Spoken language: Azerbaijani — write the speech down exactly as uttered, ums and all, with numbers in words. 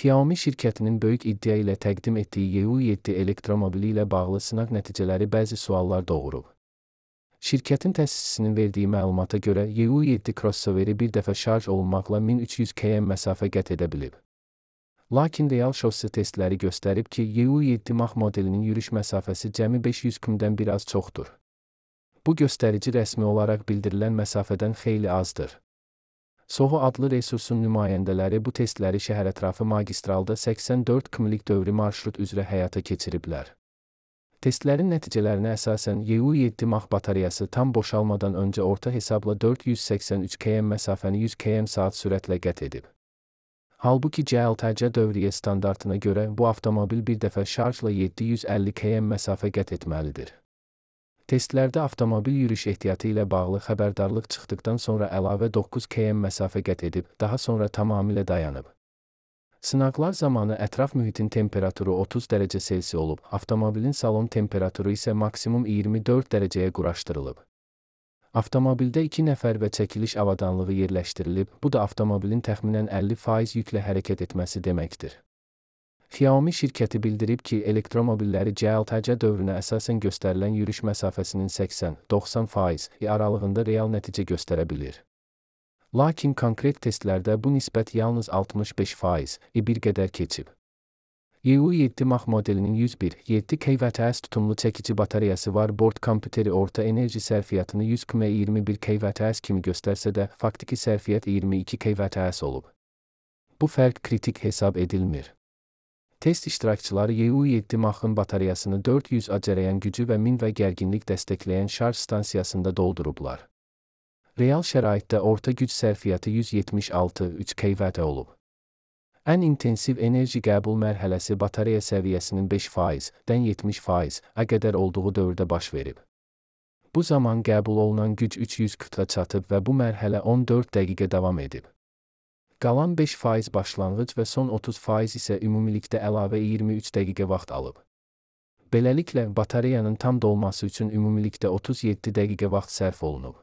Xiaomi şirkətinin böyük iddia ilə təqdim etdiyi Y U yeddi elektromobili ilə bağlı sınaq nəticələri bəzi suallar doğurub. Şirkətin təsisçisinin verdiyi məlumata görə Y U yeddi crossoveri bir dəfə şarj olunmaqla min üç yüz kilometr məsafə qət edə bilib. Lakin real şossi testləri göstərib ki, Y U yeddi Mach modelinin yürüş məsafəsi cəmi beş yüz kilometrdən bir az çoxdur. Bu göstərici rəsmi olaraq bildirilən məsafədən xeyli azdır. Soho adlı resursun nümayəndələri bu testləri şəhərətrafı magistralda səksən dörd kilometr dövrü marşrut üzrə həyata keçiriblər. Testlərin nəticələrinə əsasən Y U yeddi Mach batareyası tam boşalmadan öncə orta hesabla dörd yüz səksən üç kilometr məsafəni yüz kilometr saat sürətlə qət edib. Halbuki C L T C dövriyyə standartına görə bu avtomobil bir dəfə şarjla yeddi yüz əlli kilometr məsafə qət etməlidir. Testlərdə avtomobil yürüş ehtiyatı ilə bağlı xəbərdarlıq çıxdıqdan sonra əlavə doqquz kilometr məsafə qət edib, daha sonra tamamilə dayanıb. Sınaqlar zamanı ətraf mühitin temperaturu otuz dərəcə Selsi olub, avtomobilin salon temperaturu isə maksimum iyirmi dörd dərəcəyə quraşdırılıb. Avtomobildə iki nəfər və çəkiliş avadanlığı yerləşdirilib, bu da avtomobilin təxminən əlli faiz yüklə hərəkət etməsi deməkdir. Xiaomi şirkəti bildirib ki, elektromobilləri C L T C dövrünə əsasən göstərilən yürüş məsafəsinin səksən doxsan faiz aralığında real nəticə göstərə bilir. Lakin konkret testlərdə bu nisbət yalnız altmış beş faiz bir qədər keçib. Y U yeddi Mach modelinin yüz bir nöqtə yeddi kilovatts tutumlu çəkici batareyası var. Bord kompüteri orta enerji sərfiyyatını yüz komma iyirmi bir kilovatts kimi göstərsə də, faktiki sərfiyyat iyirmi iki kilovatts olub. Bu fərq kritik hesab edilmir. Test iştirakçıları Y U yeddi Mach'ın batareyasını dörd yüz A cərəyan gücü və min və gərginlik dəstəkləyən şarj stansiyasında doldurublar. Real şəraitdə orta güc sərfiyyatı yüz yetmiş altı nöqtə üç kilovatt olub. Ən intensiv enerji qəbul mərhələsi batareya səviyyəsinin beş faizdən yetmiş faiz-ə qədər olduğu dövrdə baş verib. Bu zaman qəbul olunan güc üç yüz kva çatıb və bu mərhələ on dörd dəqiqə davam edib. Qalan beş faiz başlanğıc və son otuz faiz isə ümumilikdə əlavə iyirmi üç dəqiqə vaxt alıb. Beləliklə, batareyanın tam dolması üçün ümumilikdə otuz yeddi dəqiqə vaxt sərf olunub.